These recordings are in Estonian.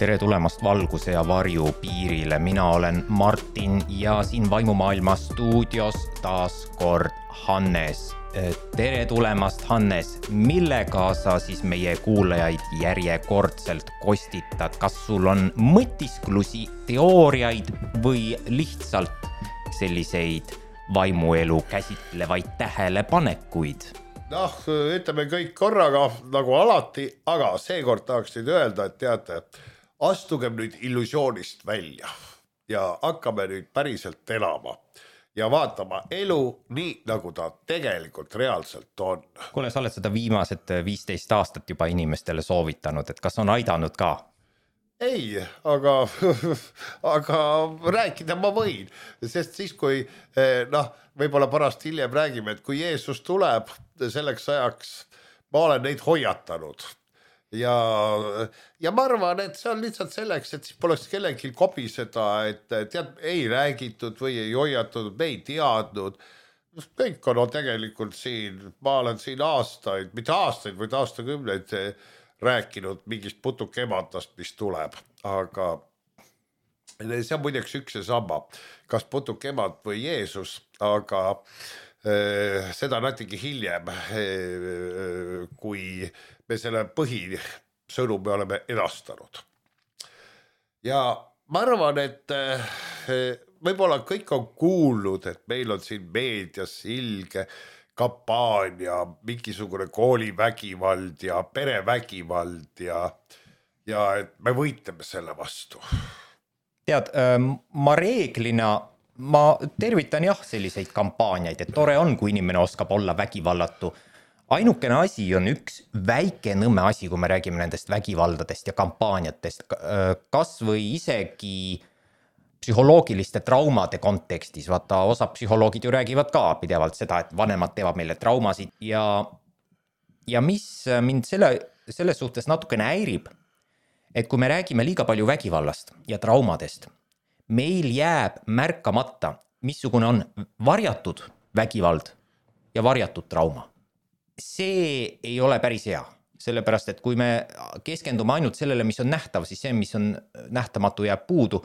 Tere tulemast valguse ja varju piirile. Mina olen Martin ja siin Vaimumaailma stuudios taas kord Hannes. Tere tulemast, Hannes. Millega sa siis meie kuulajaid järjekordselt kostitad? Kas sul on mõtisklusi, teooriaid või lihtsalt selliseid vaimuelu käsitlevaid tähelepanekuid? Ütleme kõik korraga nagu alati, aga seekord tahaksin öelda, et teate, astugem nüüd illusioonist välja ja hakkame nüüd päriselt elama ja vaatama elu nii, nagu ta tegelikult reaalselt on. Kuule, sa oled seda viimased 15 aastat juba inimestele soovitanud, et kas on aidanud ka? Ei, aga rääkida ma võin, sest siis kui, võib-olla pärast hiljem räägime, et kui Jeesus tuleb selleks ajaks, ma olen neid hoiatanud ja ma arvan, et see on lihtsalt selleks, et siis poleks kellelgi kobiseda, et tead, ei räägitud või ei hoiatud, me ei teadnud. Kõik on tegelikult siin, ma olen siin aastaid, mitte aastaid, vaid aastakümneid rääkinud mingist putukemandast, mis tuleb, aga see on muideks üks ja sama, kas putukemand või Jeesus, aga seda natuke hiljem, kui me selle põhisõnumi oleme edastanud. Ja ma arvan, et võib-olla kõik on kuulnud, et meil on siin meedias ilge kampaania, mingisugune koolivägivald ja perevägivald ja et me võitleme selle vastu. Tead, ma tervitan jah selliseid kampaaniaid, et tore on, kui inimene oskab olla vägivallatu. Ainukene asi on üks väike nõmme asi, kui me räägime nendest vägivaldadest ja kampaaniatest, kas või isegi psühholoogiliste traumade kontekstis, vaata, osa psühholoogid ju räägivad ka pidevalt seda, et vanemad teevad meile traumasid ja mis mind selles suhtes natukene häirib, et kui me räägime liiga palju vägivallast ja traumadest, meil jääb märkamata, missugune on varjatud vägivald ja varjatud trauma. See ei ole päris hea, sellepärast, et kui me keskendume ainult sellele, mis on nähtav, siis see, mis on nähtamatu, jääb puudu.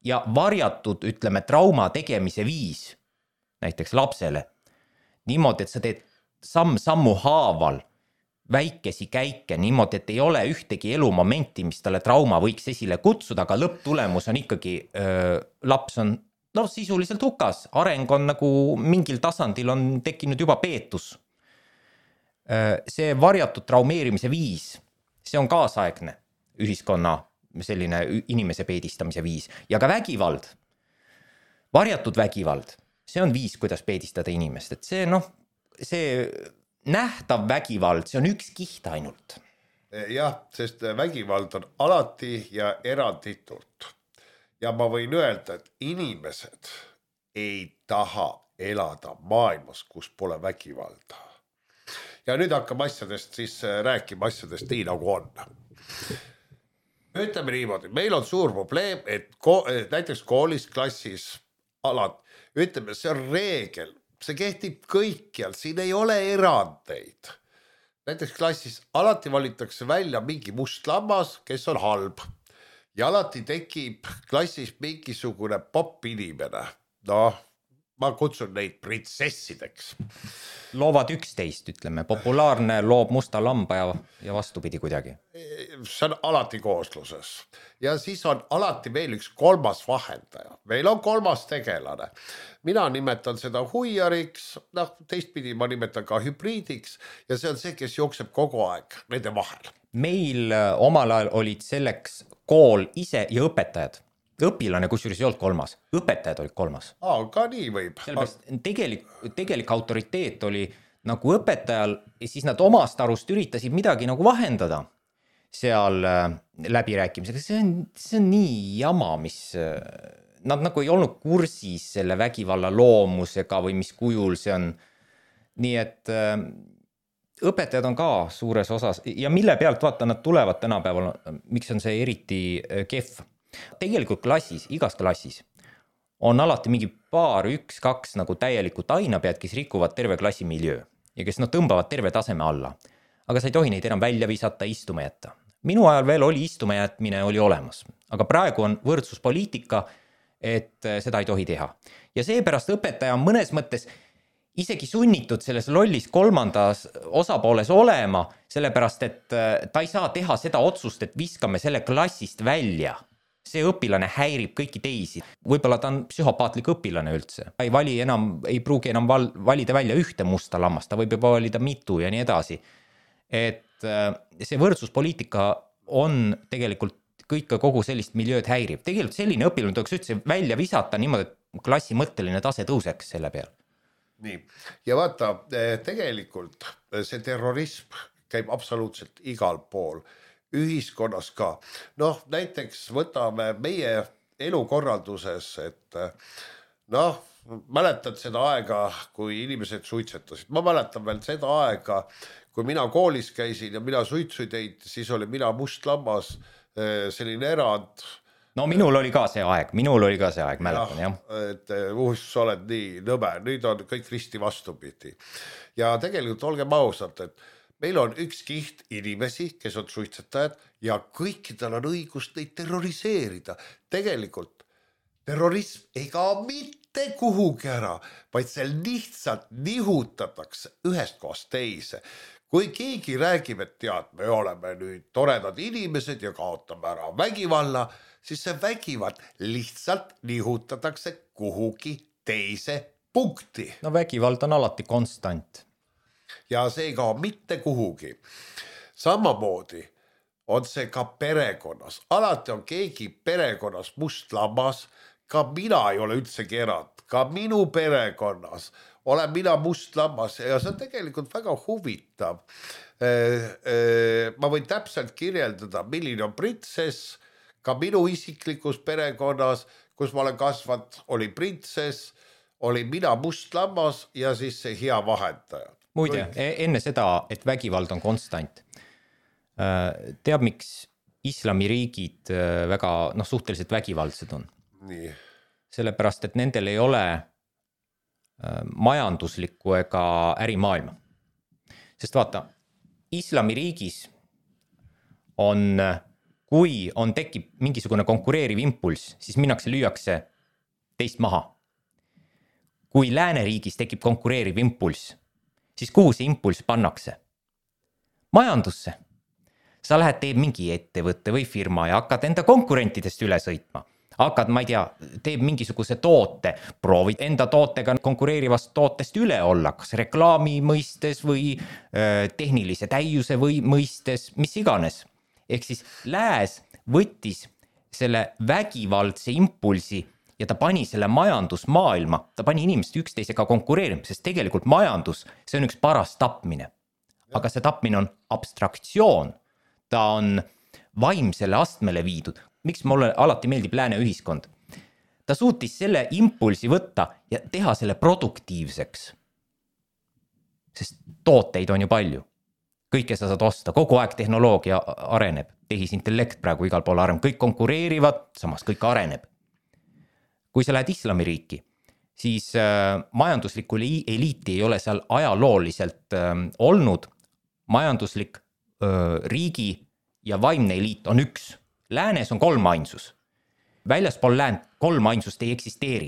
Ja varjatud, ütleme, trauma tegemise viis, näiteks lapsele, niimoodi, et sa teed sammu haaval väikesi käike, niimoodi, et ei ole ühtegi elumomenti, mis talle trauma võiks esile kutsuda, aga lõpptulemus on ikkagi, laps on sisuliselt hukas, areng on nagu mingil tasandil on tekkinud juba peetus. See varjatud traumeerimise viis, see on kaasaegne ühiskonna selline inimese peedistamise viis ja ka vägivald, varjatud vägivald, see on viis, kuidas peedistada inimest, et see nähtav vägivald, see on üks kiht ainult. Jah, sest vägivald on alati ja eranditult ja ma võin öelda, et inimesed ei taha elada maailmas, kus pole vägivalda. Ja nüüd hakkame asjadest siis rääkima asjadest nii nagu on. Ütleme niimoodi, meil on suur probleem, et näiteks koolis, klassis, ütleme, see on reegel, see kehtib kõikjal, siin ei ole erandeid. Näiteks klassis alati valitakse välja mingi must lammas, kes on halb ja alati tekib klassis mingisugune popp inimene. Ma kutsun neid printsessideks. Loovad 11, ütleme, populaarne loob musta lamba ja vastupidi kuidagi. See on alati koosluses. Ja siis on alati veel üks kolmas vahendaja. Meil on kolmas tegelane. Mina nimetan seda huiariks, teistpidi ma nimetan ka hübriidiks ja see on see, kes jookseb kogu aeg nende vahel. Meil omal ajal olid selleks kool ise ja õpetajad. Õpilane kusjuures ei olnud kolmas, õpetajad olid kolmas. Ka nii võib. Tegelik autoriteet oli nagu õpetajal ja siis nad omast arust üritasid midagi nagu vahendada seal läbirääkimisega. See on nii jama, mis nad nagu ei olnud kursis selle vägivalla loomusega või mis kujul see on. Nii et õpetajad on ka suures osas ja mille pealt vaata nad tulevad tänapäeval, miks on see eriti kehv. Tegelikult klassis, igas klassis on alati mingi paar, 1-2 nagu täielikult ainapead, kes rikuvad terve klassi miljöö ja kes tõmbavad terve taseme alla. Aga sa ei tohi neid enam välja visata, istuma jätta. minu ajal veel oli istuma jätmine oli olemas, aga praegu on võrdsuspoliitika, et seda ei tohi teha. Ja seepärast õpetaja on mõnes mõttes isegi sunnitud selles lollis kolmandas osapooles olema, sellepärast et ta ei saa teha seda otsust, et viskame selle klassist välja. See õpilane häirib kõiki teisi. Võib-olla ta on psühhopaatlik õpilane üldse. Ei pruugi enam valida välja ühte musta lammast, ta võib juba valida mitu ja nii edasi. Et see võrdsuspoliitika on tegelikult kogu sellist miljööd häirib. Tegelikult selline õpilane tuleks üldse välja visata niimoodi, et klassi mõtteline tase tõuseks selle peal. Nii, ja vaata, tegelikult see terrorism käib absoluutselt igal pool, ühiskonnas ka. Noh, näiteks võtame meie elukorralduses, et noh, mäletad seda aega, kui inimesed suitsetasid. Ma mäletan veel seda aega, kui mina koolis käisin ja mina suitsu teid, siis oli mina must lammas, selline erand. No minul oli ka see aeg, mäletan, jah. Et sa oled nii nõme, nüüd on kõik risti vastupidi. Ja tegelikult olgem ausad, et meil on üks kiht inimesi, kes on suitsetajad ja kõikidel on õigus neid terroriseerida. Tegelikult terrorism ei kao mitte kuhugi ära, vaid seal lihtsalt nihutatakse ühest kohast teise. Kui keegi räägib, et tead, me oleme nüüd toredad inimesed ja kaotame ära vägivalla, siis see vägivald lihtsalt nihutatakse kuhugi teise punkti. No vägivald on alati konstant. Ja see ei kao mitte kuhugi. Samamoodi on see ka perekonnas. Alati on keegi perekonnas must lammas. Ka mina ei ole üldsegi erand. Ka minu perekonnas olen mina must lammas ja see on tegelikult väga huvitav. Ma võin täpselt kirjeldada, milline on printsess. Ka minu isiklikus perekonnas, kus ma olen kasvanud, oli printsess, oli mina must lammas ja siis see hea vahendaja. Muide, enne seda, et vägivald on konstant. Teab, miks islamiriigid väga suhteliselt vägivaldsed on? Nii. Sellepärast, et nendel ei ole majanduslikku ega ärimaailma. Sest vaata, islamiriigis on, kui tekib mingisugune konkureeriv impulss, siis minnakse lüüakse teist maha. Kui lääneriigis tekib konkureeriv impulss, siis kuhu see impulss pannakse? Majandusse. Sa lähed teeb mingi ettevõtte või firma ja hakkad enda konkurentidest üle sõitma. Hakkad, ma ei tea, teeb mingisuguse toote, proovid enda tootega konkureerivast tootest üle olla, kas reklaami mõistes või tehnilise täiuse või mõistes, mis iganes. Ehk siis lääs võttis selle vägivaldse impulsi ja ta pani selle majandusmaailma, ta pani inimesed üksteisega konkureerima, sest tegelikult majandus, see on üks paras tapmine. Aga see tapmine on abstraktsioon, ta on vaimsele astmele viidud. Miks mulle alati meeldib lääne ühiskond? Ta suutis selle impulsi võtta ja teha selle produktiivseks. Sest tooteid on ju palju. Kõike sa saad osta, kogu aeg tehnoloogia areneb, tehisintellekt praegu igal pool areneb, kõik konkureerivad, samas kõik areneb. Kui sa lähed islamiriiki, siis majanduslikku eliiti ei ole seal ajalooliselt olnud. Majanduslik riigi ja vaimne eliit on üks. Läänes on 3 ainsus. Väljaspool läänt 3 ainsust ei eksisteeri.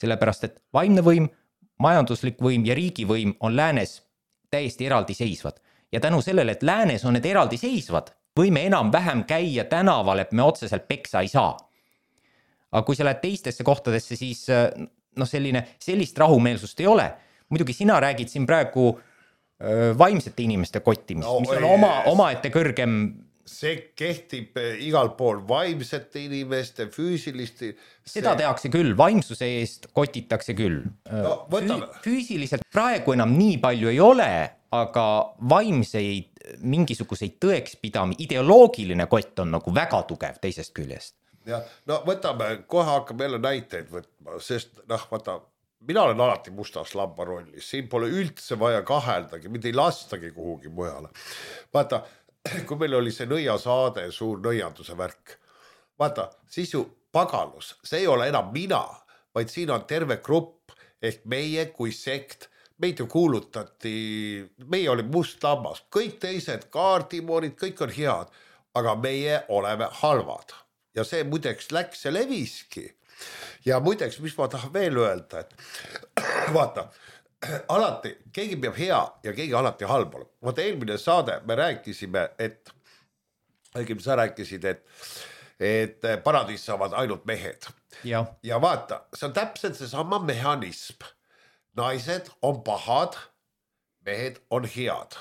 Sellepärast, et vaimne võim, majanduslik võim ja riigivõim on läänes täiesti eraldi seisvad. Ja tänu sellele, et läänes on need eraldi seisvad, võime enam vähem käia tänaval, et me otseselt peksa ei saa. Aga kui sa lähed teistesse kohtadesse, siis sellist rahumeelsust ei ole. Muidugi sina räägid siin praegu vaimsete inimeste kottimist, mis on omaette kõrgem. See kehtib igal pool vaimsete inimeste, füüsiliste. Seda tehakse küll, vaimsuse eest kotitakse küll. Füüsiliselt praegu enam nii palju ei ole, aga vaimseid mingisuguseid tõekspidami, ideoloogiline kott on nagu väga tugev teisest küljest. Ja, võtame, kohe hakkame jälle näiteid võtma, sest vaata, mina olen alati mustas lamba rollis, siin pole üldse vaja kaheldagi, mitte ei lastagi kuhugi mujale. Vaata, kui meil oli see nõiasaade, suur nõianduse värk, vaata, siis ju pagalus, see ei ole enam mina, vaid siin on terve grupp ehk meie kui sekt, meid ju kuulutati, meie oli must lammas, kõik teised kaardimoorid, kõik on head, aga meie oleme halvad ja see muideks läks ja leviski. Ja muideks, mis ma tahan veel öelda, et vaata, alati keegi peab hea ja keegi alati halb olema. Vaata eelmine saade me rääkisime, et õigemini sa rääkisid, et paradiis saavad ainult mehed. Ja vaata, see on täpselt seesama mehhanism. Naised on pahad, mehed on head.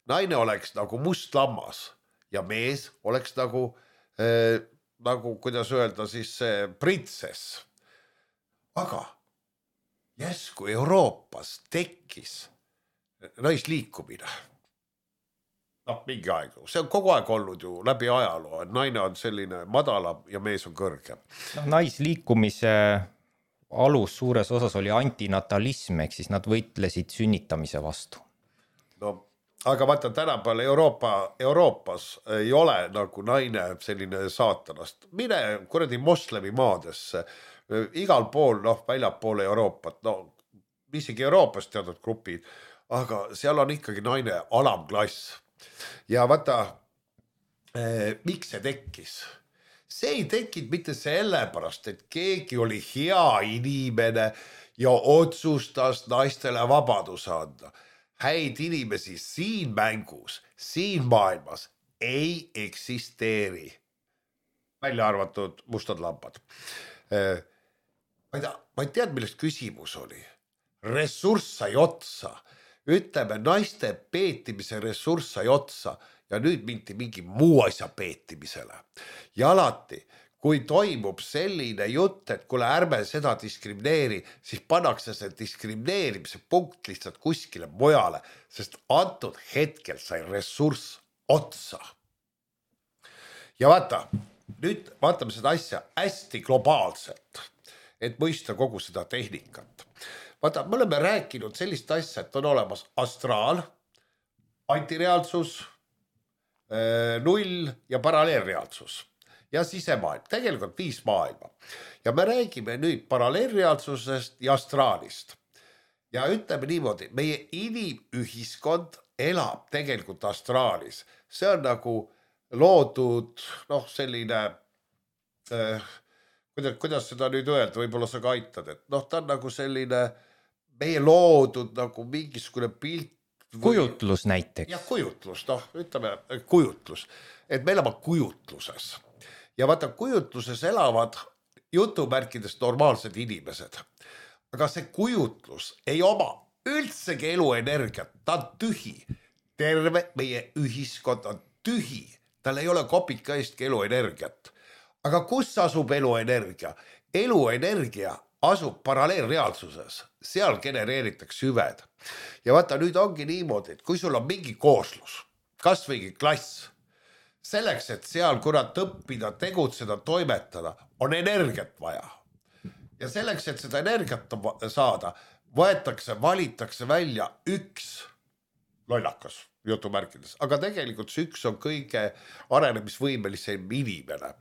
Naine oleks nagu must lammas ja mees oleks nagu kuidas öelda siis printsess. Aga järsku Euroopas tekkis naisliikumine. Mingi aeg. See on kogu aeg olnud ju läbi ajaloo, et naine on selline madalam ja mees on kõrgem. Naisliikumise alus suures osas oli antinatalism, ehk siis nad võitlesid sünnitamise vastu. No, aga vaata tänapäeval Euroopas ei ole nagu naine selline saatanast. Mine kuradi moslemi maadesse, igal pool, väljapoole Euroopat, isegi Euroopas teatud grupid, aga seal on ikkagi naine alamklass. Ja vaata, miks see tekkis? See ei tekkinud mitte sellepärast, et keegi oli hea inimene ja otsustas naistele vabaduse anda. Häid inimesi siin mängus, siin maailmas ei eksisteeri. Välja arvatud mustad lambad. Ma ei tead, millest küsimus oli. Ressurss sai otsa. Ütleme, naiste peetimise ressurss sai otsa ja nüüd mingi muu asja peetimisele. Ja alati, kui toimub selline jutt, et kuule ärme seda diskrimineeri, siis pannakse see diskrimineerimise punkt lihtsalt kuskile mujale, sest antud hetkel sai ressurss otsa. Ja vaata, nüüd vaatame seda asja hästi globaalselt, et mõista kogu seda tehnikat. Vaata, me oleme rääkinud sellist asja, et on olemas astraal, antireaalsus, null ja paralleelreaalsus ja sisemaailm, tegelikult 5 maailma. Ja me räägime nüüd paralleelreaalsusest ja astraalist. Ja ütleme niimoodi, meie inimühiskond elab tegelikult astraalis. See on nagu loodud, selline, kuidas seda nüüd öelda, võib-olla sa ka aitad, et ta on nagu selline meie loodud nagu mingisugune pilt. Kujutlus näiteks. Ja kujutlus, ütleme kujutlus, et me elame kujutluses. Ja vaata, kujutluses elavad jutumärkidest normaalsed inimesed. Aga see kujutlus ei oma üldsegi eluenergiat, ta on tühi. Terve meie ühiskond on tühi, tal ei ole kopika eestki eluenergiat. Aga kus asub eluenergia? Eluenergia asub paralleelreaalsuses, seal genereeritakse hüved. Ja vaata, nüüd ongi niimoodi, et kui sul on mingi kooslus, kas või klass, selleks, et seal kurat õppida, tegutseda, toimetada, on energiat vaja. Ja selleks, et seda energiat saada, valitakse välja üks lollakas jutumärkides, aga tegelikult see üks on kõige arenemisvõimelisem inimene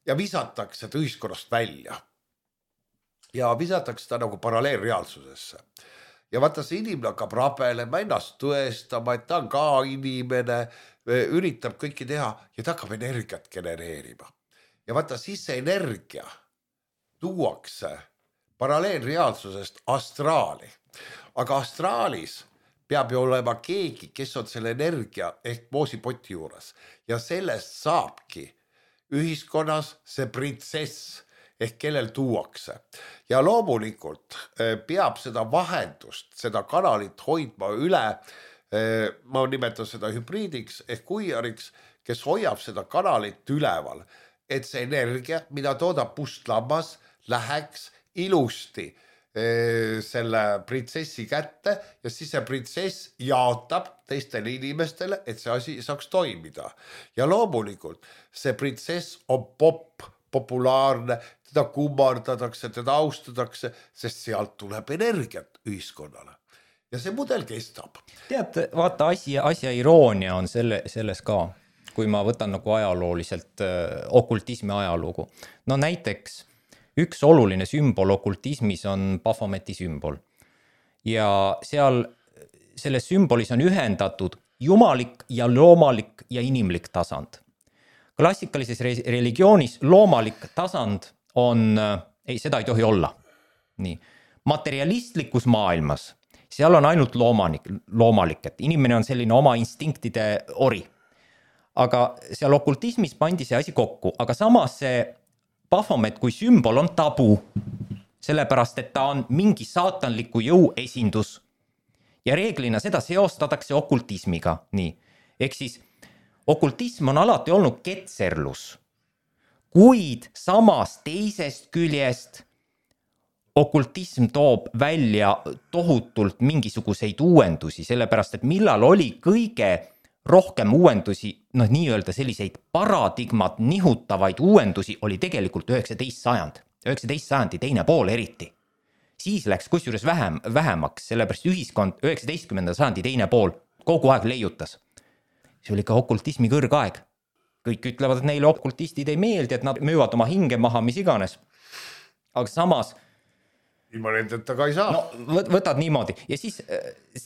ja visatakse ta ühiskonnast välja. Ja visatakse ta nagu paralleelreaalsusesse. Ja vaata, see inimene hakkab rabelema, ennast tõestama, et ta on ka inimene, üritab kõiki teha ja ta hakkab energiat genereerima. Ja vaata, siis see energia tuuakse paralleelreaalsusest astraali. Aga astraalis peab ju olema keegi, kes on selle energia ehk moosipoti juures. Ja sellest saabki ühiskonnas see printsess ehk kellel tuuakse. Ja loomulikult peab seda vahendust, seda kanalit hoidma üle, ma nimetan seda hübriidiks ehk kuiariks, kes hoiab seda kanalit üleval, et see energia, mida toodab mustlammas, läheks ilusti selle printsessi kätte ja siis see printsess jaotab teistele inimestele, et see asi saaks toimida. Ja loomulikult see printsess on populaarne, teda kummardatakse, teda austatakse, sest sealt tuleb energiat ühiskonnale. Ja see mudel kestab. Tead, vaata, asja iroonia on selles ka, kui ma võtan nagu ajalooliselt okultismi ajalugu. No näiteks üks oluline sümbol okultismis on Baphometi sümbol. Ja selles sümbolis on ühendatud jumalik ja loomalik ja inimlik tasand. klassikalises religioonis loomalik tasand on, seda ei tohi olla. Nii. Materialistlikus maailmas, seal on ainult loomalik, et inimene on selline oma instinktide ori. Aga seal okultismis pandi see asi kokku, aga samas see Baphomet kui sümbol on tabu, sellepärast et ta on mingi saatanliku jõu esindus. Ja reeglina seda seostatakse okultismiga. Nii. Ehk siis okultism on alati olnud ketserlus, kuid samas teisest küljest okultism toob välja tohutult mingisuguseid uuendusi, sellepärast et millal oli kõige rohkem uuendusi, nii-öelda selliseid paradigmat nihutavaid uuendusi oli tegelikult 19. sajand. 19. sajandi teine pool eriti. Siis läks kusjuures vähemaks, sellepärast ühiskond 19. sajandi teine pool kogu aeg leiutas. See oli ka okultismi kõrgaeg. Kõik ütlevad, et neile okultistid ei meeldi, et nad müüvad oma hinge maha, mis iganes. Aga samas ilma nendeta ka ei saa. No, võtad niimoodi. Ja siis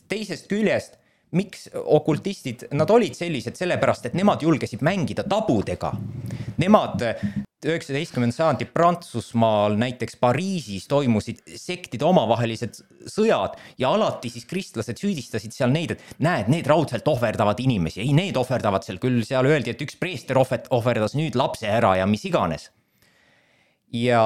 teisest küljest, miks okultistid, nad olid sellised sellepärast, et nemad julgesid mängida tabudega. Nemad 19. sajandi Prantsusmaal, näiteks Pariisis toimusid sektide omavahelised sõjad ja alati siis kristlased süüdistasid seal neid, et näed, need raudselt ohverdavad inimesi. Ei, need ohverdavad seal küll, seal öeldi, et üks preester ohverdas nüüd lapse ära ja mis iganes. Ja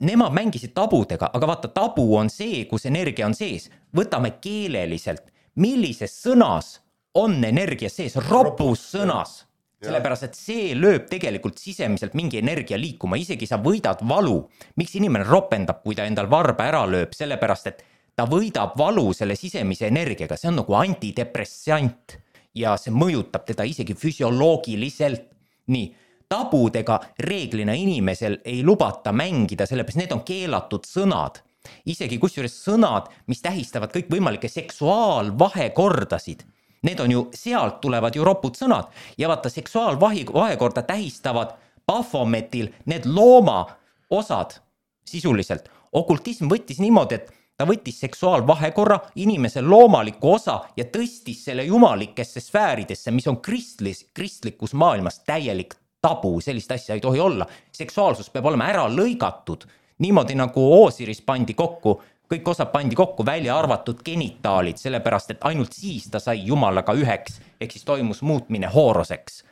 nemad mängisid tabudega, aga vaata, tabu on see, kus energia on sees. Võtame keeleliselt, millises sõnas on energia sees, ropus sõnas. Sellepärast, et see lööb tegelikult sisemiselt mingi energia liikuma, isegi sa võidad valu. Miks inimene ropendab, kui ta endal varba ära lööb? Sellepärast, et ta võidab valu selle sisemise energiaga, see on nagu antidepressant ja see mõjutab teda isegi füsioloogiliselt. Nii, tabudega reeglina inimesel ei lubata mängida, sellepärast need on keelatud sõnad. Isegi kusjuures sõnad, mis tähistavad kõik võimalikke seksuaalvahekordasid. Need on ju, sealt tulevad ju ropud sõnad ja vaata seksuaalvahekorda tähistavad Baphometil need looma osad sisuliselt. Okultism võttis niimoodi, et ta võttis seksuaalvahekorra inimese loomaliku osa ja tõstis selle jumalikesse sfääridesse, mis on kristlikus maailmas täielik tabu, sellist asja ei tohi olla. Seksuaalsus peab olema ära lõigatud, niimoodi nagu Oosiris pandi kokku, kõik osad pandi kokku, välja arvatud genitaalid, sellepärast, et ainult siis ta sai jumalaga üheks, ehk siis toimus muutmine hooroseks.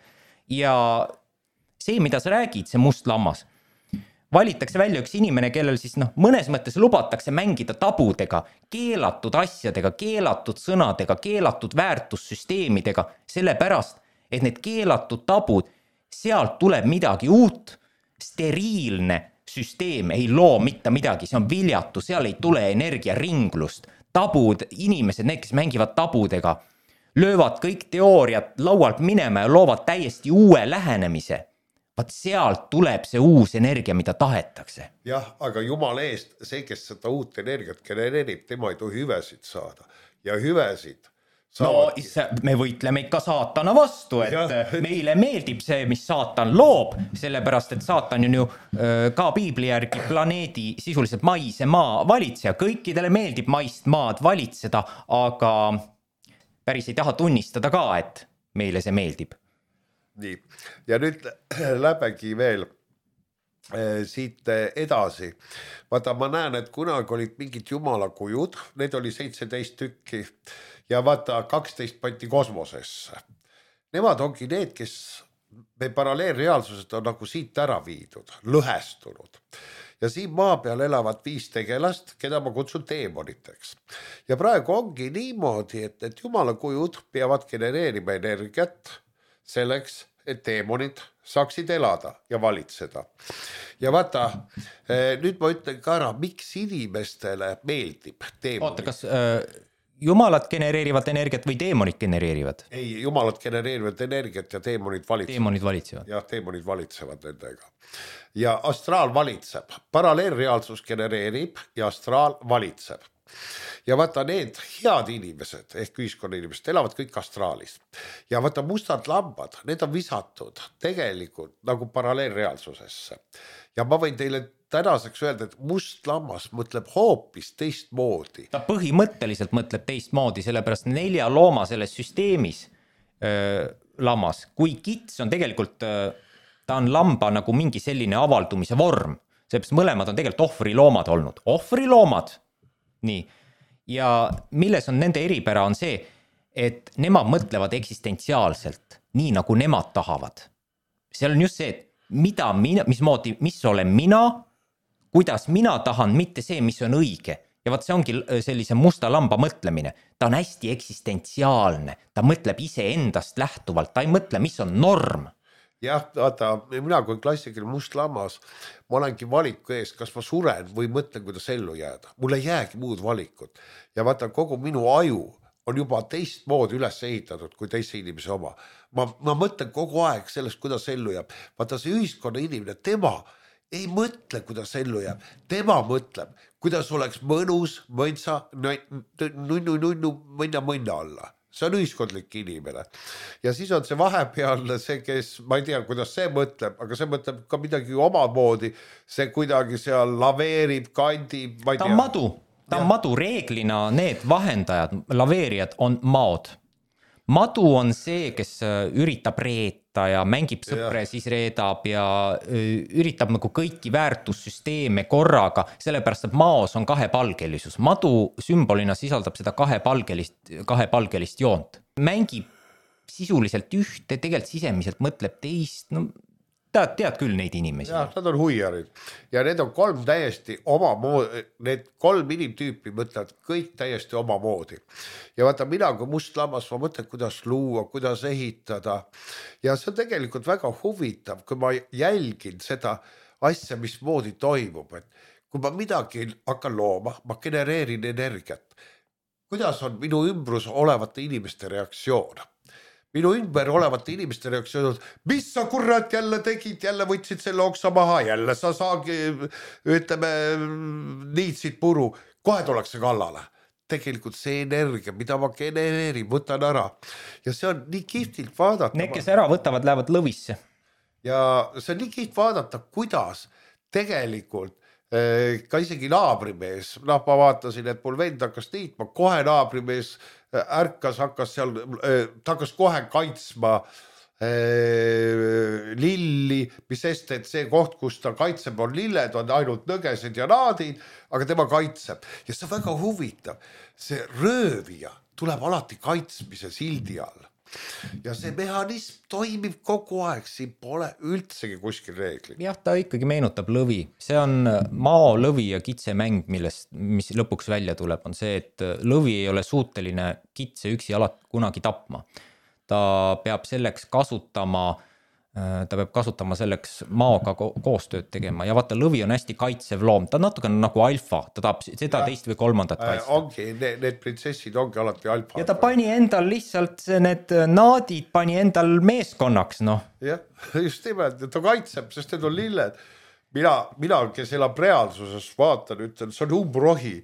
Ja see, mida sa räägid, see must lammas, valitakse välja üks inimene, kellel siis mõnes mõttes lubatakse mängida tabudega, keelatud asjadega, keelatud sõnadega, keelatud väärtussüsteemidega, sellepärast, et need keelatud tabud, sealt tuleb midagi uut, steriilne süsteem ei loo mitte midagi, see on viljatu, seal ei tule energiaringlust. Tabud, inimesed, need, kes mängivad tabudega, löövad kõik teooriad laualt minema ja loovad täiesti uue lähenemise. Vaat sealt tuleb see uus energia, mida tahetakse. Jah, aga jumala eest, see, kes seda uut energiat genereerib, tema ei tohi hüvesid saada. Ja hüvesid saavadki. No, me võitleme ikka saatana vastu, et meile meeldib see, mis saatan loob, sellepärast, et saatan on ju ka piibli järgi planeedi sisuliselt maise maa valitseja. Kõikidele meeldib maist maad valitseda, aga päris ei taha tunnistada ka, et meile see meeldib. Nii, ja nüüd läbegi veel siit edasi. Vaata, ma näen, et kunagi olid mingid jumalakujud, need oli 17 tükki ja vaata, 12 pandi kosmosesse. Nemad ongi need, kes me paralleelreaalsused on nagu siit ära viidud, lõhestunud. Ja siin maa peal elavad 5 tegelast, keda ma kutsun teemoniteks. Ja praegu ongi niimoodi, et jumalakujud peavad genereerima energiat selleks, et teemonid saaksid elada ja valitseda. Ja vaata, nüüd ma ütlen ka ära, miks inimestele meeldib teemonid. Oota, kas jumalad genereerivad energiat või teemonid genereerivad? Ei, jumalad genereerivad energiat ja teemonid valitsevad. Teemonid valitsevad. Jah, teemonid valitsevad nendega. Ja astraal valitseb. Paralleelreaalsus genereerib ja astraal valitseb. Ja vaata, need head inimesed ehk ühiskonna inimesed elavad kõik astraalis. Ja vaata, mustad lambad, need on visatud tegelikult nagu paralleelreaalsusesse. Ja ma võin teile tänaseks öelda, et must lammas mõtleb hoopis teistmoodi. Ta põhimõtteliselt mõtleb teistmoodi, sellepärast 4 looma selles süsteemis lammas, kui kits on tegelikult ta on lamba nagu mingi selline avaldumise vorm, seepärast mõlemad on tegelikult ohvriloomad olnud, ohvriloomad, nii, ja milles on nende eripära on see, et nemad mõtlevad eksistentsiaalselt, nii nagu nemad tahavad. Seal on just see, et mismoodi, mis olen mina, kuidas mina tahan, mitte see, mis on õige. Ja vaat see ongi sellise musta lamba mõtlemine. Ta on hästi eksistentsiaalne, ta mõtleb ise endast lähtuvalt, ta ei mõtle, mis on norm. Jah, vaata, mina kui klassikaline must lammas, ma olengi valiku ees, kas ma suren või mõtlen, kuidas ellu jääda. Mul ei jäägi muud valikut. Ja vaata, kogu minu aju on juba teistmoodi üles ehitatud kui teise inimese oma. Ma mõtlen kogu aeg sellest, kuidas ellu jääb. Vaata, see ühiskonna inimene, tema ei mõtle, kuidas ellu jääb. Tema mõtleb, kuidas oleks mõnus, mõnsa, nunnu, mõnna alla. See on ühiskondlik inimene. Ja siis on see vahepealne, see, kes, ma ei tea, kuidas see mõtleb, aga see mõtleb ka midagi omamoodi. See kuidagi seal laveerib, kandib, ma ei tea. Ta on madu, reeglina need vahendajad, laveerijad on maod. Madu on see, kes üritab reeta ja mängib sõpre, siis reedab ja üritab nagu kõiki väärtussüsteeme korraga, sellepärast, et maos on kahepalgelisus. Madu sümbolina sisaldab seda kahepalgelist joont. Mängib sisuliselt ühte, tegelikult sisemiselt mõtleb teist, no tead küll neid inimesi. Jah, nad on huiarid. Ja need on kolm täiesti omamoodi, need kolm inimtüüpi mõtlevad kõik täiesti omamoodi. Ja vaata, mina kui must lammas, ma mõtlen, kuidas luua, kuidas ehitada. Ja see on tegelikult väga huvitav, kui ma jälgin seda asja, mismoodi toimub. Et kui ma midagi hakkan looma, ma genereerin energiat. Kuidas on minu ümbrus olevate inimeste reaktsioon? Minu ümber olevate inimeste reaktsioon, mis sa kurat jälle tegid, jälle võtsid selle oksa maha, jälle sa saagi, ütleme, niitsid puru, kohe tullakse kallale. Tegelikult see energia, mida ma genereerin, võtan ära. Ja see on nii kihvtilt vaadata. Need, kes ära võtavad, lähevad lõvisse. Ja see on nii kiht vaadata, kuidas tegelikult ka isegi naabrimees, ma vaatasin, et mul vend hakkas niitma, kohe naabrimees ärkas, ta hakkas kohe kaitsma lilli, mis sest, et see koht, kus ta kaitseb, on lilled, on ainult nõgesed ja naadid, aga tema kaitseb. Ja see on väga huvitav. See röövija tuleb alati kaitsmise sildi all. Ja see mehhanism toimib kogu aeg, siin pole üldsegi kuskil reegli. Jah, ta ikkagi meenutab lõvi. See on mao, lõvi ja kitse mäng, mis lõpuks välja tuleb, on see, et lõvi ei ole suuteline kitse üksi kunagi tapma. Ta peab kasutama selleks maoga koostööd tegema ja vaata, lõvi on hästi kaitsev loom, ta natuke nagu alfa, ta tahab seda teist või kolmandat kaitsta. Ongi, need prinsessid ongi alati alfa. Ja ta pani endal lihtsalt need naadid, pani endal meeskonnaks, noh. Jah, just nimelt, ta kaitseb, sest need on lilled. Mina, kes elab reaalsuses, vaatan, ütlen, see on umbrohi,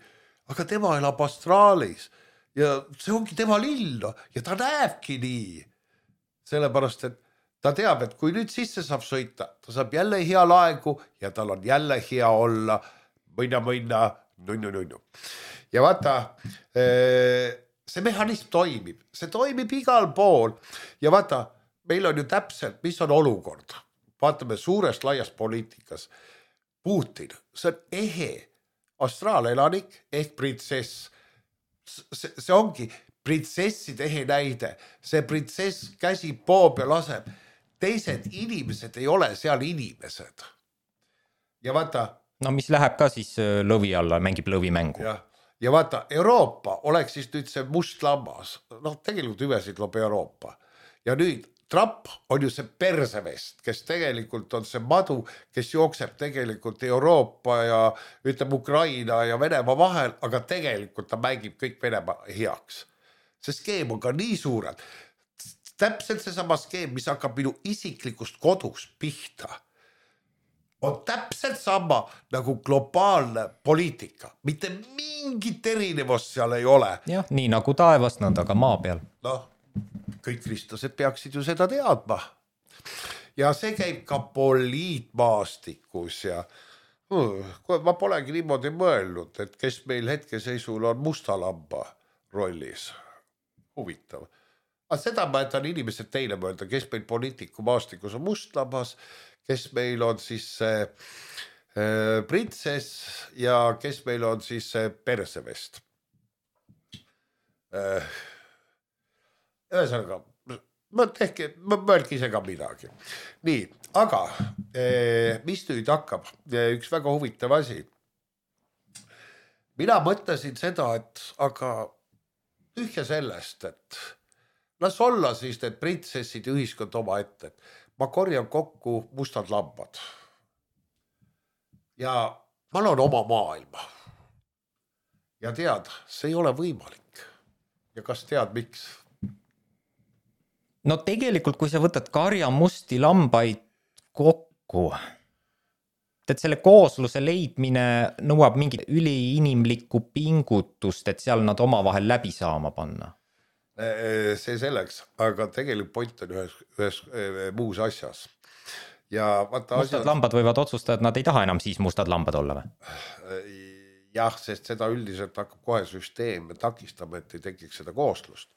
aga tema elab astraalis ja see ongi tema lill ja ta näebki nii. Sellepärast, et ta teab, et kui nüüd sisse saab sõita, ta saab jälle hea laegu ja tal on jälle hea olla, mõnna, nunnu. Ja vaata, see mehhanism toimib, see toimib igal pool ja vaata, meil on ju täpselt, mis on olukord. Vaatame suurest laiast poliitikas. Putin, see on ehe astraalelanik ehk printsess. See ongi printsesside ehe näide. See printsess käsib poob ja laseb. Teised inimesed ei ole seal inimesed. Ja vaata... No mis läheb ka siis lõvi alla, mängib lõvimängu. Ja vaata, Euroopa oleks siis nüüd see must lammas. Tegelikult hüvesid loob Euroopa. Ja nüüd Trump on ju see persevest, kes tegelikult on see madu, kes jookseb tegelikult Euroopa ja ütleb Ukraina ja Venemaa vahel, aga tegelikult ta mängib kõik Venemaa heaks. See skeem on ka nii suured. Täpselt seesama skeem, mis hakkab minu isiklikust kodust pihta, on täpselt sama nagu globaalne poliitika. Mitte mingit erinevust seal ei ole. Jah, nii nagu taevas, nõnda ka maa peal. Kõik kristlased peaksid ju seda teadma. Ja see käib ka poliitmaastikus ja ma polegi niimoodi mõelnud, et kes meil hetkeseisul on musta lamba rollis. Huvitav. Aga seda ma jätan inimesed teile mõelda, kes meil poliitiku maastikus on must lambas, kes meil on siis see printsess ja kes meil on siis see persevest. Ühesõnaga, mõelge ise ka midagi. Nii, aga mis nüüd hakkab? Üks väga huvitav asi. Mina mõtlesin seda, et aga tühja sellest, et las olla siis need printsessid ja ühiskond oma ette. Ma korjan kokku mustad lambad. Ja ma loon oma maailma. Ja tead, see ei ole võimalik. Ja kas tead, miks? No tegelikult, kui sa võtad karja musti lambaid kokku, et selle koosluse leidmine nõuab mingit üliinimlikku pingutust, et seal nad omavahel läbi saama panna. See selleks, aga tegelikult point on ühes muus asjas. Ja mustad lambad võivad otsustada, et nad ei taha enam siis mustad lambad olla või? Jah, sest seda üldiselt hakkab kohe süsteem takistama, et ei tekiks seda kooslust.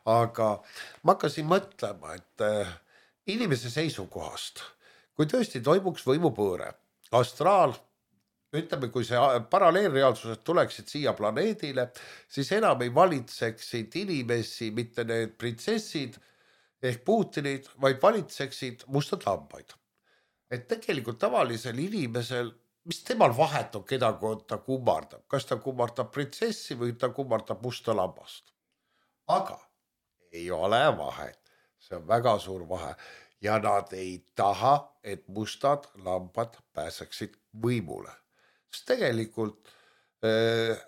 Aga ma hakkasin mõtlema, et inimese seisukohast, kui tõesti toimuks võimupõõre, astraal, ütleme, kui see paralleelreaalsused tuleksid siia planeedile, siis enam ei valitseksid inimesi, mitte need printsessid ehk Putinid, vaid valitseksid mustad lambaid. Et tegelikult tavalisel inimesel, mis temal vahet on, keda ta kummardab, kas ta kummardab printsessi või ta kummardab musta lambast. Aga ei ole vahet, see on väga suur vahe ja nad ei taha, et mustad lambad pääseksid võimule. Sest tegelikult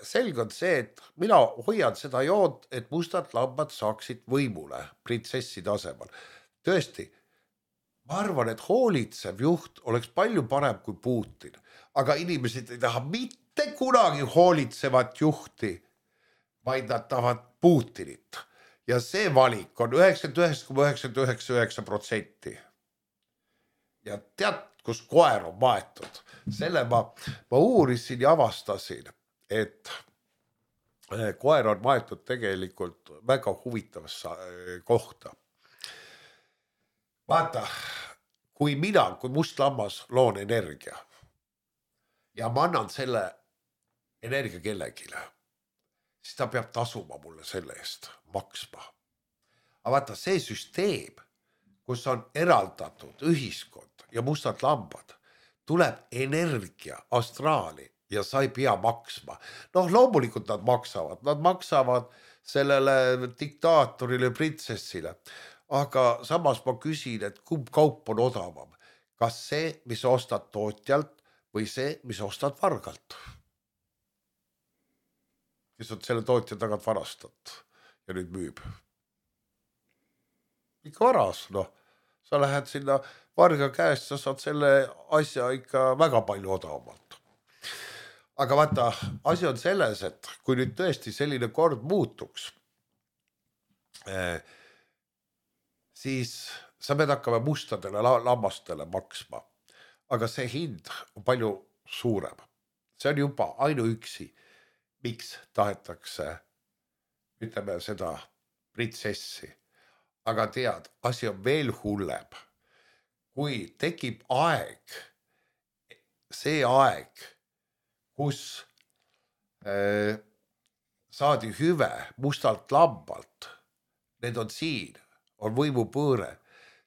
selge on see, et mina hoian seda joont, et mustad lambad saaksid võimule printsessi tasemel. Tõesti, ma arvan, et hoolitsev juht oleks palju parem kui Putin, aga inimesed ei taha mitte kunagi hoolitsevat juhti, vaid nad tahavad Putinit. Ja see valik on 99,999%. Ja tead, kus koer on maetud? Selle ma uurisin ja avastasin, et koer on maetud tegelikult väga huvitavasse kohta. Vaata, kui must lammas loon energia ja ma annan selle energia kellegile, siis ta peab tasuma mulle selle eest, maksma. Aga vaata, see süsteem, kus on eraldatud ühiskond ja mustad lambad, tuleb energia astraali ja sa ei pea maksma. Noh, loomulikult nad maksavad sellele diktaatorile, printsessile. Aga samas ma küsin, et kumb kaup on odavam. Kas see, mis ostad tootjalt või see, mis ostad vargalt? Kes on selle tootja tagant varastat ja nüüd müüb. Ikka varas, noh. Sa lähed sinna varga käest, sa saad selle asja ikka väga palju odavamalt. Aga vaata, asi on selles, et kui nüüd tõesti selline kord muutuks, siis sa pead hakkama mustadele lammastele maksma. Aga see hind on palju suurem. See on juba ainuüksi, miks tahetakse, ütleme seda printsessi. Aga tead, asi on veel hullem. Kui tekib aeg, see aeg, kus saadi hüve mustalt lambalt, need on siin, on võimupõõre,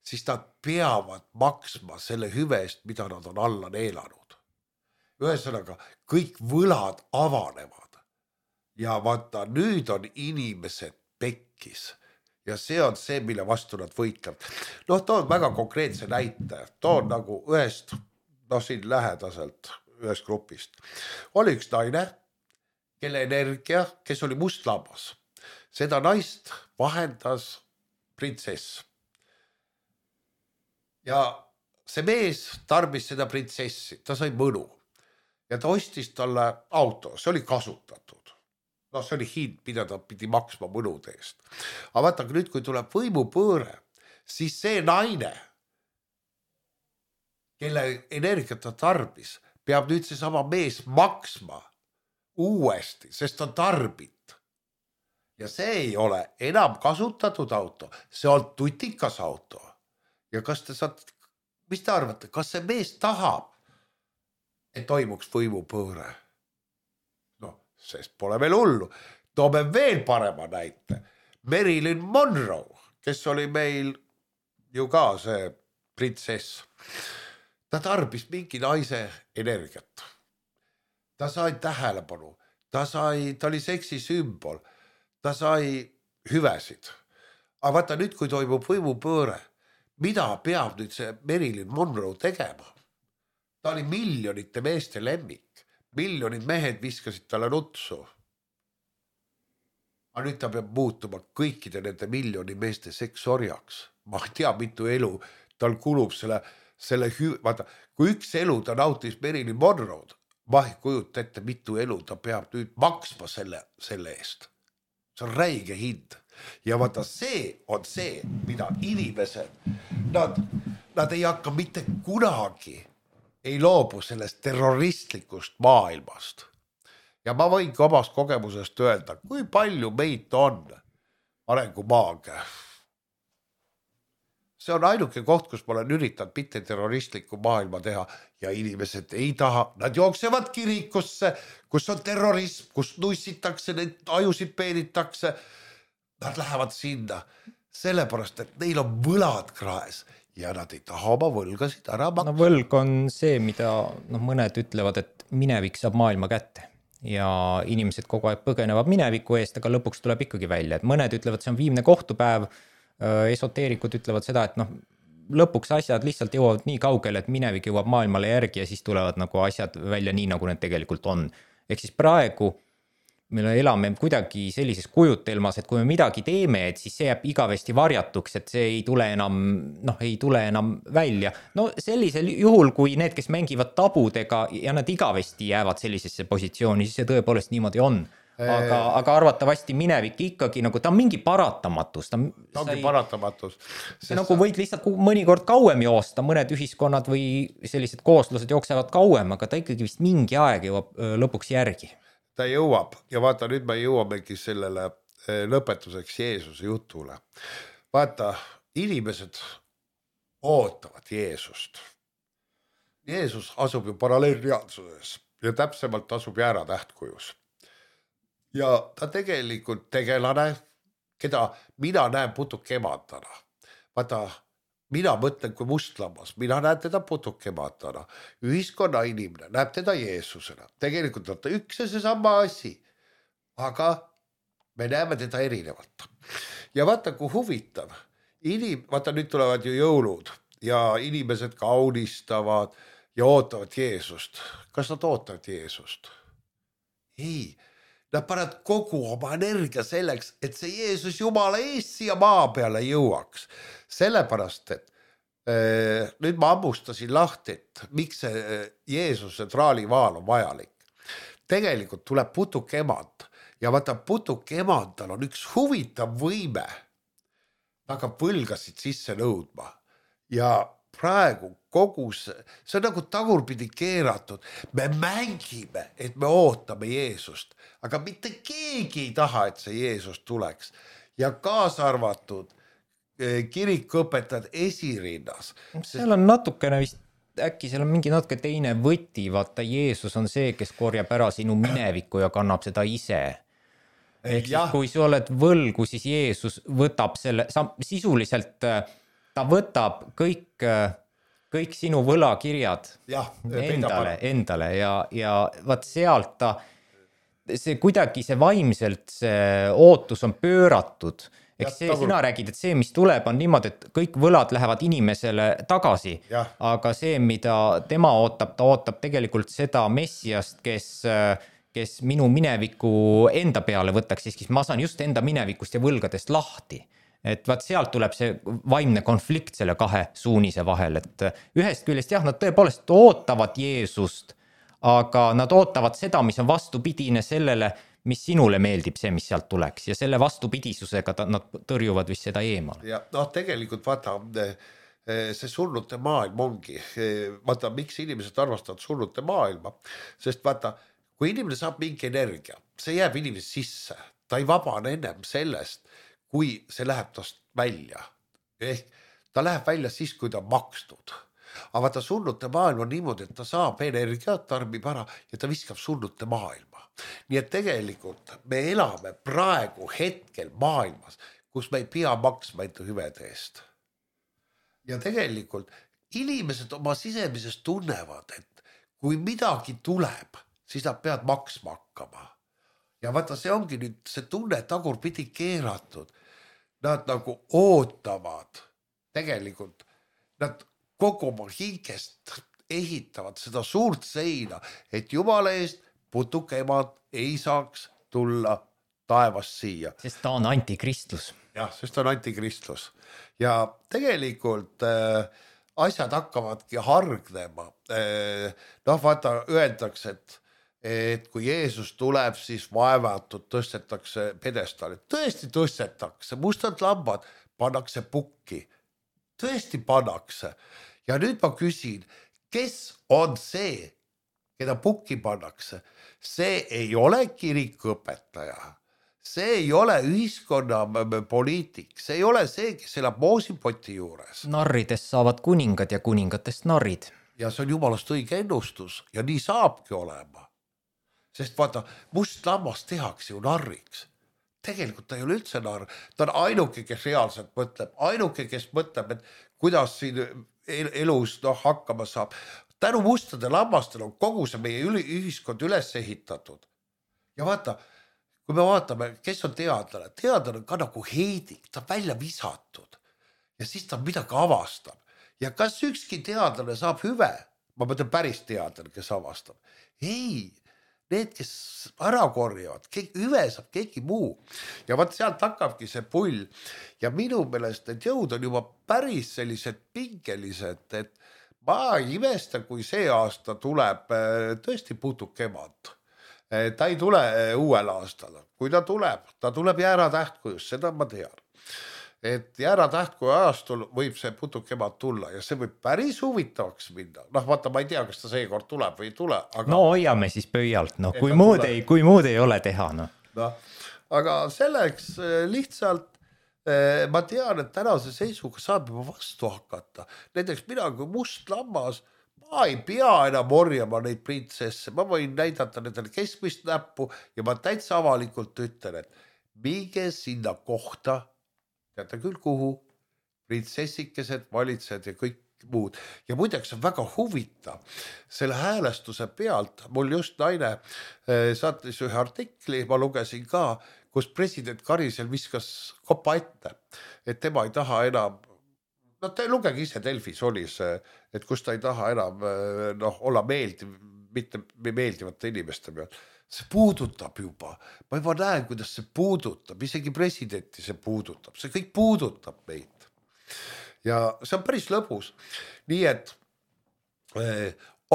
siis nad peavad maksma selle hüve eest, mida nad on alla neelanud. Ühesõnaga, kõik võlad avanevad. Ja vaata, nüüd on inimesed pekkis. Ja see on see, mille vastu nad võitlevad. Noh, toon väga konkreetse näite. Toon nagu ühest, siin lähedaselt, ühest grupist. Oli üks naine, kelle energia, kes oli must lammas. Seda naist vahendas printsess. Ja see mees tarbis seda printsessi, ta sai mõnu. Ja ta ostis talle auto, see oli kasutatud. No see oli hind, mida ta pidi maksma mõnude eest. Aga vaata, nüüd kui tuleb võimupõõre, siis see naine, kelle energiat ta tarbis, peab nüüd see sama mees maksma uuesti, sest ta tarbit. Ja see ei ole enam kasutatud auto, see on tutikas auto. Ja kas te saad mis te arvate, kas see mees tahab, et toimuks võimupööre? No, sest pole veel hullu. Toome veel parema näite. Marilyn Monroe, kes oli meil ju ka see printsess. Ta tarbis mingi naise energiat. Ta sai tähelepanu. Ta oli seksi sümbol. Ta sai hüvesid. Aga vaata nüüd, kui toimub võimupööre, mida peab nüüd see Marilyn Monroe tegema? Ta oli miljonite meeste lemmik. Miljonid mehed viskasid talle nutsu. Aga nüüd ta peab muutuma kõikide nende miljoni meeste seksorjaks. Ma ei tea, mitu elu tal kulub vaata, kui üks elu ta nautis Marilyn Monroe'd, ma ei kujuta ette, mitu elu ta peab nüüd maksma selle eest. See on räige hind. Ja vaata, see on see, mida inimesed, nad ei hakka mitte kunagi, ei loobu sellest terroristlikust maailmast. Ja ma võin ka omast kogemusest öelda, kui palju meid on arengumaaga. See on ainuke koht, kus ma olen üritanud mitte terroristlikku maailma teha ja inimesed ei taha. Nad jooksevad kirikusse, kus on terrorism, kus nussitakse, neid ajusid peenitakse. Nad lähevad sinna sellepärast, et neil on võlad kraes ja nad ei taha oma võlgasid ära maksta. No võlg on see, mida mõned ütlevad, et minevik saab maailma kätte ja inimesed kogu aeg põgenevad mineviku eest, aga lõpuks tuleb ikkagi välja. Et mõned ütlevad, see on viimne kohtupäev, esoteerikud ütlevad seda, et lõpuks asjad lihtsalt jõuavad nii kaugele, et minevik jõuab maailmale järgi ja siis tulevad nagu asjad välja nii, nagu need tegelikult on. Ehk siis praegu me elame kuidagi sellises kujutelmas, et kui me midagi teeme, et siis see jääb igavesti varjatuks, et see ei tule enam välja. No sellisel juhul, kui need, kes mängivad tabudega ja nad igavesti jäävad sellisesse positsiooni, siis see tõepoolest niimoodi on. Aga arvatavasti minevik ikkagi, nagu ta on mingi paratamatus. Ta ongi paratamatus. See nagu võid lihtsalt mõnikord kauem joosta, mõned ühiskonnad või sellised kooslused jooksevad kauem, aga ta ikkagi vist mingi aeg jõuab lõpuks järgi. Ta jõuab ja vaata, nüüd me jõuamegi sellele lõpetuseks Jeesuse jutule. Vaata, inimesed ootavad Jeesust. Jeesus asub ju paralleelreaalsuses ja täpsemalt asub jääratähtkujus. Ja ta tegelikult tegelane, keda mina näen putukemantana. Vaata, mina mõtlen kui mustlammas, mina näen teda putukemantana. Ühiskonna inimene näeb teda Jeesusena. Tegelikult on ta üks ja seesama asi, aga me näeme teda erinevalt. Ja vaata, kui huvitav. Vaata, nüüd tulevad ju jõulud ja inimesed kaunistavad ja ootavad Jeesust. Kas nad ootavad Jeesust? Ei. Nad panevad kogu oma energia selleks, et see Jeesus Jumala eest siia maa peale jõuaks. Sellepärast, et nüüd ma ammustasin lahti, et miks see Jeesuse traalivaal on vajalik. Tegelikult tuleb putukemand ja vaata, putukemandal on üks huvitav võime. Aga võlgasid sisse nõudma ja praegu kogu see on nagu tagurpidi keeratud. Me mängime, et me ootame Jeesust, aga mitte keegi ei taha, et see Jeesus tuleks. Ja kaasa arvatud kirikuõpetajad esirinnas. Seal on natukene vist, äkki seal on mingi natuke teine võti, vaata Jeesus on see, kes korjab ära sinu minevikku ja kannab seda ise. Ehk siis, kui sa oled võlgu, siis Jeesus võtab selle, sisuliselt ta võtab kõik sinu võlakirjad endale ja vaat sealt see kuidagi see vaimselt see ootus on pööratud. Eks see, sina räägid, et see, mis tuleb, on niimoodi, et kõik võlad lähevad inimesele tagasi, aga see, mida tema ootab, ta ootab tegelikult seda messiast, kes minu mineviku enda peale võtaks, siis ma saan just enda minevikust ja võlgadest lahti. Et vaat sealt tuleb see vaimne konflikt selle kahe suunise vahel, et ühest küljest nad tõepoolest ootavad Jeesust, aga nad ootavad seda, mis on vastupidine sellele, mis sinule meeldib, see, mis sealt tuleks ja selle vastupidisusega nad tõrjuvad vist seda eemale. Ja tegelikult vaata, see surnute maailm ongi, vaata, miks inimesed arvastavad surnute maailma, sest vaata, kui inimene saab mingi energia, see jääb inimese sisse, ta ei vabane ennem sellest, kui see läheb tast välja. Ehk ta läheb välja siis, kui ta on makstud. aga vaata surnute maailm on niimoodi, et ta saab energiat, tarbib ära ja ta viskab surnute maailma. Nii et tegelikult me elame praegu hetkel maailmas, kus me ei pea maksma enda hüvede eest. Ja tegelikult inimesed oma sisemises tunnevad, et kui midagi tuleb, siis nad peavad maksma hakkama. Ja vaata, see ongi nüüd see tunne tagurpidi keeratud. Nad nagu ootavad, tegelikult nad kogu oma hingest ehitavad seda suurt seina, et jumala eest putukemad ei saaks tulla taevast siia. Sest ta on antikristlus. Jah, sest ta on antikristlus. Ja tegelikult asjad hakkavadki hargnema. Noh, vaata, öeldakse, et kui Jeesus tuleb, siis vaevatud tõstetakse pedestali. Tõesti tõstetakse, mustad lambad pannakse pukki. Tõesti pannakse. Ja nüüd ma küsin, kes on see, keda pukki pannakse? See ei ole kirikuõpetaja. See ei ole ühiskonna poliitik. See ei ole see, kes elab moosipoti juures. Narridest saavad kuningad ja kuningatest narrid. Ja see on jumalast õige ennustus ja nii saabki olema. Sest vaata, must lammas tehakse ju narriks. Tegelikult ta ei ole üldse narr. Ta on ainuke, kes reaalselt mõtleb. Ainuke, kes mõtleb, et kuidas siin elus hakkama saab. Tänu mustade lammastel on kogu see meie ühiskond üles ehitatud. Ja vaata, kui me vaatame, kes on teadlane. Teadlane on ka nagu heidik, ta on välja visatud. Ja siis ta midagi avastab. Ja kas ükski teadlane saab hüve? Ma mõtlen päris teadlane, kes avastab. Ei, need, kes ära korjavad, hüve saab keegi muu. Ja vaat sealt hakkabki see pull. Ja minu meelest need jõud on juba päris sellised pingelised, et ma imesta, kui see aasta tuleb tõesti putukemad. Ta ei tule uuel aastal. Kui ta tuleb Jäära tähtkujus, seda ma tean. Et Jäära tähtkuju ajastul võib see putukemad tulla ja see võib päris huvitavaks minna. Noh, vaata, ma ei tea, kas ta seekord tuleb või ei tule. Aga... No hoiame siis pöialt, no, kui muud ei ole teha. No. Aga selleks lihtsalt ma tean, et tänase seisuga saab juba vastu hakata. Näiteks mina kui must lammas, ma ei pea enam orjama neid printsesse. Ma võin näidata nendele keskmist näppu ja ma täitsa avalikult ütlen, et minge sinna kohta, teate küll kuhu, printsessikesed, valitsejad ja kõik muud. Ja muideks on väga huvitav selle häälestuse pealt. Mul just naine saatis ühe artikli, ma lugesin ka, kus president Karisel viskas kopa ette, et tema ei taha enam, no te lugege ise Delfis oli see, et kus ta ei taha enam olla mitte meeldivate inimeste peal. See puudutab juba. Ma juba näen, kuidas see puudutab. Isegi presidenti see puudutab. See kõik puudutab meid. Ja see on päris lõbus. Nii et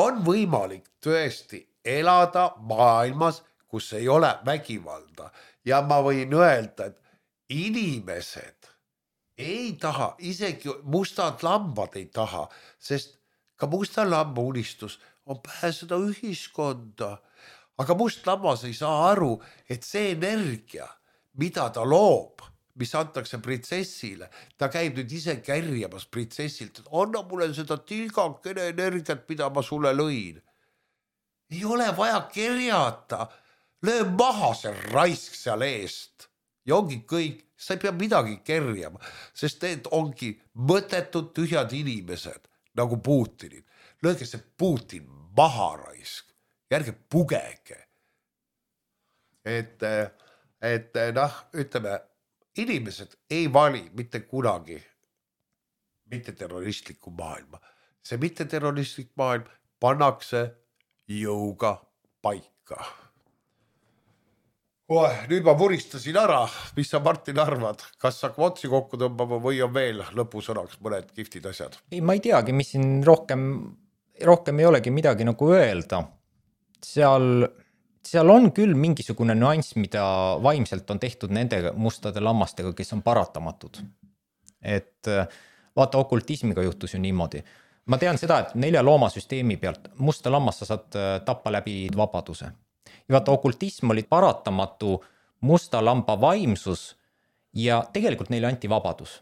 on võimalik tõesti elada maailmas, kus ei ole vägivalda. Ja ma võin öelda, et inimesed ei taha, isegi mustad lambad ei taha, sest ka musta lamba unistus on pääseda ühiskonda. Aga must lammas ei saa aru, et see energia, mida ta loob, mis antakse printsessile, ta käib nüüd ise kärjamas printsessilt, et anna mulle seda tilgakene energiat, mida ma sulle lõin. Ei ole vaja kerjata, löö maha see raisk seal eest. Ja ongi kõik, sa ei pea midagi kerjama, sest need ongi mõttetud tühjad inimesed, nagu Putinid. Lööge see Putin maha raisk. Järge pugege. Et ütleme, inimesed ei vali mitte kunagi mitte terroristlikku maailma. See mitte terroristlik maailm pannakse jõuga paika. Nüüd ma vuristasin ära, mis sa Martin arvad, kas saab otsi kokku tõmbama või on veel lõpusõnaks mõned kiftid asjad? Ei, ma ei teagi, mis siin rohkem ei olegi midagi nagu öelda. Seal on küll mingisugune nüanss, mida vaimselt on tehtud nende mustade lammastega, kes on paratamatud. Et vaata, okultismiga juhtus ju niimoodi. Ma tean seda, et 4 loomasüsteemi pealt musta lammas sa saad tappa läbi vabaduse. Ja vaata, okultism oli paratamatu musta lamba vaimsus ja tegelikult neile anti vabadus.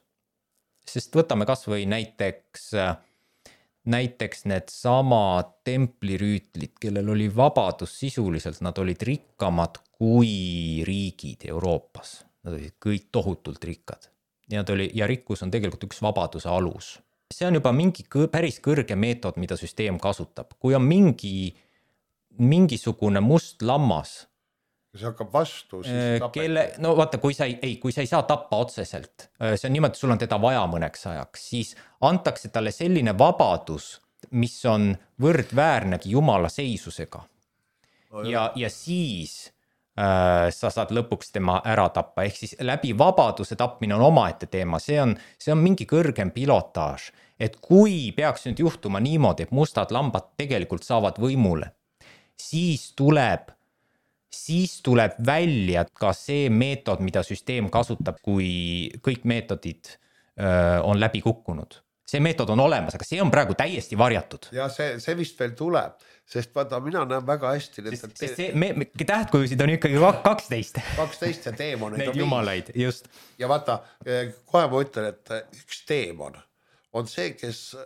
Sest võtame kas või näiteks näiteks need sama templirüütlid, kellel oli vabadus sisuliselt, nad olid rikkamad kui riigid Euroopas. Nad olid kõik tohutult rikkad. Ja rikkus on tegelikult üks vabaduse alus. See on juba mingi päris kõrge meetod, mida süsteem kasutab. Kui on mingisugune must lammas, see hakkab vastu, siis no vaata, kui sa ei saa tappa otseselt, see on niimoodi, sul on teda vaja mõneks ajaks, siis antakse talle selline vabadus, mis on võrdväärnegi Jumala seisusega. Ja siis sa saad lõpuks tema ära tappa, ehk siis läbi vabaduse tapmine on omaette teema, see on mingi kõrgem pilotaaž, et kui peaks nüüd juhtuma niimoodi, et mustad lambad tegelikult saavad võimule, siis tuleb välja ka see meetod, mida süsteem kasutab, kui kõik meetodid on läbi kukkunud. See meetod on olemas, aga see on praegu täiesti varjatud. Ja see vist veel tuleb, sest vaata, mina näen väga hästi tähtkujusid on ikkagi 12. 12 ja teemoneid neid jumalaid, just. Ja vaata, kohe ma ütlen, et üks teemon on see, kes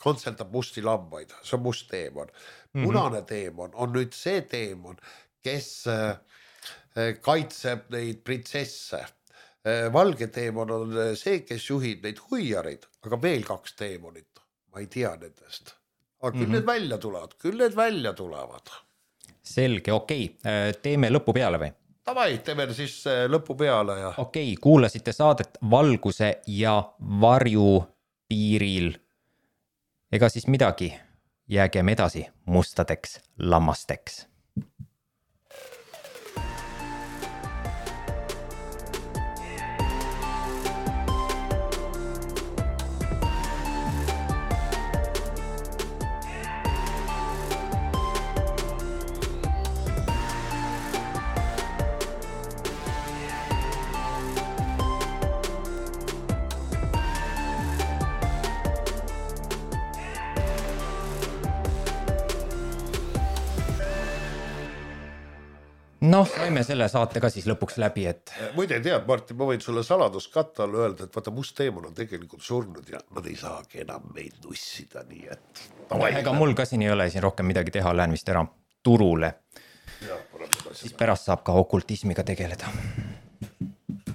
kontseldab musti lambaid, see on must teemon. Punane teemon on nüüd see teemon, kes kaitseb neid printsesse. Valge teemon on see, kes juhib neid huijarid, aga veel 2 teemonit, ma ei tea nendest. Aga küll need välja tulevad. Selge, okei. Teeme lõpu peale või? Tavai, teeme siis lõpu peale. Ja... Okei, kuulasite saadet Valguse ja varju piiril. Ega siis midagi, jäägem edasi mustadeks lammasteks. Noh, saime selle saate ka siis lõpuks läbi, et... Muide tead, Martin, ma võin sulle saladuskatta alla öelda, et vaata must teemon on tegelikult surnud ja nad ei saagi enam meid nussida, nii et... Ega mul ka siin ei ole siin rohkem midagi teha, lähen vist ära turule. Siis pärast saab ka okultismiga tegeleda.